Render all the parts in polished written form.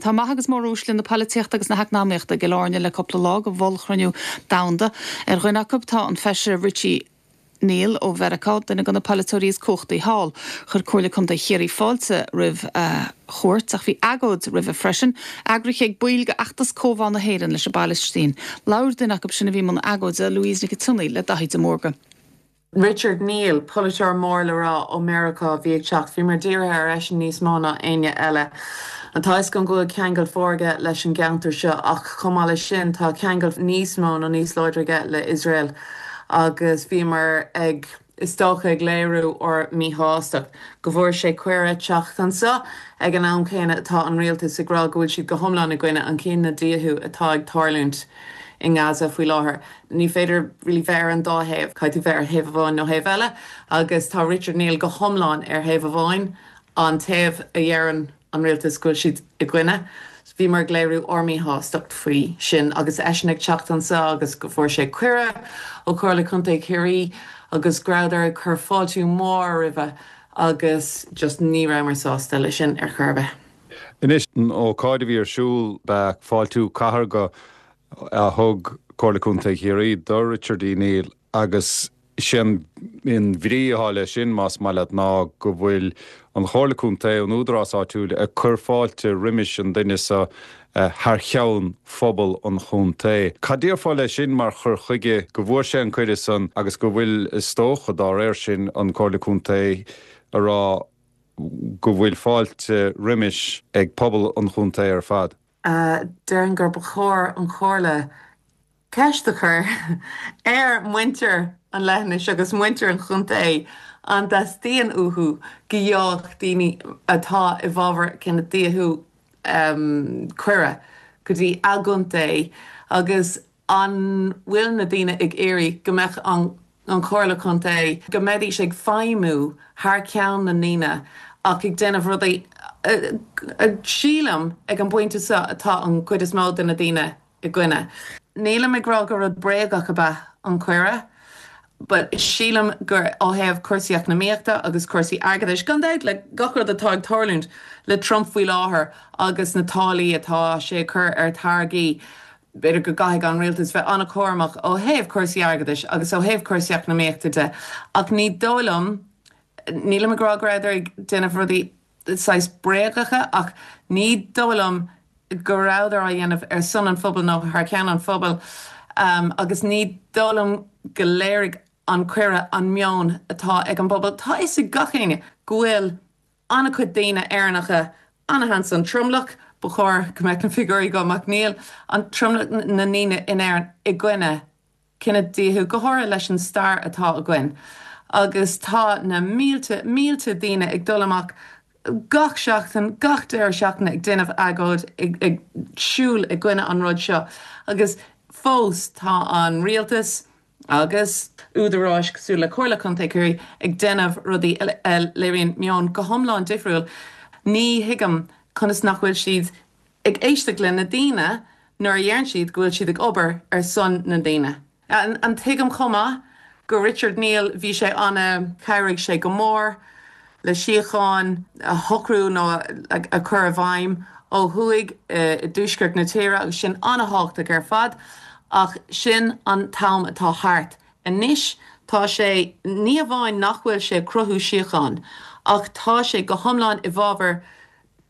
Tá maithe agus móruaisle na polaitíochta agus na heacnamaíochta i gCill Airne le cúpla lá go ollchruinniú domhanda. Ar dhuine acu tá an Feisire Richie Neal ó Mheiriceá, duine de na polaiteoirí is cumhachtaí thall. Chuir Comhairle Contae Chiarraí fáilte roimh a chuairt ach bhí agóid roimhe freisin, eagraithe ag baill de fheachtas Comhbhá na hÉireann leis an bPalaistín. Labhair duine acu sin a bhí i mbun agóide, Louise Nic an tSionnaigh, le Daithí de Mórdha. Richard Neal, polaiteoir mór le rá ó Meiriceá a bhí ag teacht. Bhíomar dírithe ar eisean níos mó ná éinne eile. Tá a fhios agam go bhfuil ceangal mhór aige leis an gceantar seo ach chomh maith leis sin tá ceangal níos mó nó níos láidre aige le Iosrael agus bhíomar ag, is dócha, ag léiriú ár míshástacht go bhfuair sé cuireadh teacht anseo ag an am céanna atá an rialtas ag rá go bhfuil siad go hiomlán i gcoinne an chinedhíothú atá ag tarlúint i nGaza faoi láthair. Ní féidir really bheith ar an dá thaobh, caithfidh tú bheith ar thaobh amháin nó thaobh eile agus tá Richard Neal go hiomlán ar thaobh amháin, an taobh a dheireann an rialtas go bhfuil siad i gcoinne. Bhíomar ag léiriú ár míshástacht faoi sin agus eisean ag teacht anseo agus go bhfuair sé cuireadh ó Chomhairle Contae Chiarraí agus go rabhadar ag cur fáiltiú mór roimhe agus just ní rabhamar sásta leis sin ar chor ar bith. Anois, an ócáid a bhí ar siúl, ba ea fáiltiú cathartha a thug Comhairle Contae Chiarraí do Richard E. Neal agus sé an bhrí atá leis sin, más maith leat, ná go bhfuil an Chomhairle Contae, an údarás áitiúil, ag cur fáilte roimis an duine seo thar cheann phobal an chontae. Cad déarfá leis sin mar chur chuige, go bhfuair sé an cuireadh san agus go bhfuil, is dócha, dá réir sin, an Comhairle Contae a rá go bhfuil fáilte roimis ag pobal an chontae ar fad? Déarfainn gur ba chóir an Chomhairle ceist a chur ar mhuintir an leithinis agus muintir an chontae an dteastaíonn uathu go gheobhadh daoine atá i bhfabhar cinedhíothú cuireadh go dtí a gcontae agus An bhfuil na daoine ag iarraidh go mbeadh an an Chomhairle Contae, go mbeidís ag feidhmiú thar ceann na ndaoine ach ag déanamh rudaí a, sílim, ag an bpointe seo atá an chuid is mó de na daoine i gcoinne. Nílim ag rá gur rud bréagach ab ea an cuireadh but sílim gur ó thaobh cúrsaí eacnamaíochta agus cúrsaí airgeadais, gan dabht le gach rud atá ag tarlúint le Trump faoi láthair agus na táillí atá sé ag cur ar táirgí, B'fhéidir go gcaithfidh an rialtas bheith an-chúramach ó thaobh cúrsaí airgeadais agus ó thaobh cúrsaí eacnamaíochta de ach ní dóigh liom, nílim ag rá go rabhadar ag déanamh rudaí saghas bréagacha ach ní dóigh liom go rabhadar á dhéanamh ar son an phobail nó thar ceann an phobail agus ní dóigh liom go léirigh an cuireadh an meon atá ag an bpobal. Tá a fhios ag gach éinne go bhfuil an-chuid daoine Éireannacha ana-sheans an tromlach, ba chóir go mbeadh na figiúirí agam ach níl, an tromlach na ndaoine in Éirinn i gcoinne cinedhíothú, go háirithe leis an stair atá againn. Agus tá na mílte, mílte daoine ag dul amach gach seachtain, gach deireadh seachtaine ag déanamh agóid, ag, ag siúl i gcoinne an rud seo. Agus fós tá an rialtas, agus údaráis cosúil le Comhairle Contae Chiarraí ag déanamh rudaí a léiríonn meon go hiomlán difriúil. Ní thuigim conas nach bhfuil siad ag éisteacht le na daoine nuair a dheireann siad go bhfuil siad ag obair ar son na ndaoine. An tuigim chomh maith go Richard Neal bhí sé ana, chabhraigh sé go mór le síocháin a shocrú nó a chur i bhfeidhm ó thuaidh i dtuaisceart na tíre agus sin an-thábhachtach ar fad ach sin an t-am atá thart anois. Tá sé, ní hamháin nach bhfuil sé ag cruthú síocháin ach tá sé go hiomlán i bhfabhar,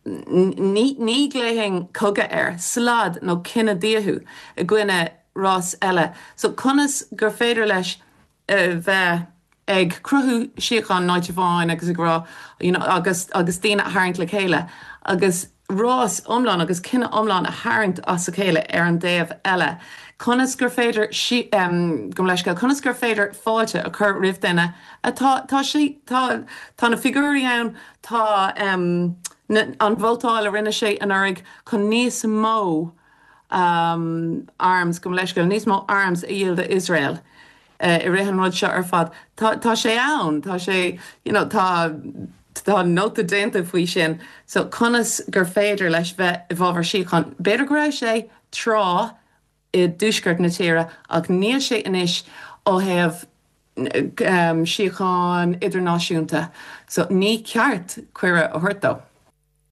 ní ghlaofainn cogadh air, slad nó cinedhíothú i gcoinne rás eile. So conas gur féidir leis bheith ag cruthú síocháin in áit amháin agus ag rá you know agus agus daoine a tharraingt le chéile agus rás iomlán agus cine iomlán a tharraingt as a chéile ar an dtaobh eile. Conas gur féidir gabh mo leithscéal, conas gur féidir fáilte a chur roimh duine atá tá sé tá tá na figiúirí ann tá na an vótáil a rinne sé anuraidh chun níos mó arms, gabh mo leithscéal, níos mó arms a dhíol d'Iosrael i rith an rud seo ar fad. Tá, tá sé ann, tá sé, you know, tá, tá nóta déanta faoi sin. So conas gur féidir leis bheith i bhfabhar síocháin? B'fhéidir go raibh sé tráth i dtuaisceart na tíre ach níl sé anois ó thaobh síocháin idirnáisiúnta. So ní ceart cuireadh a thabhairt dó.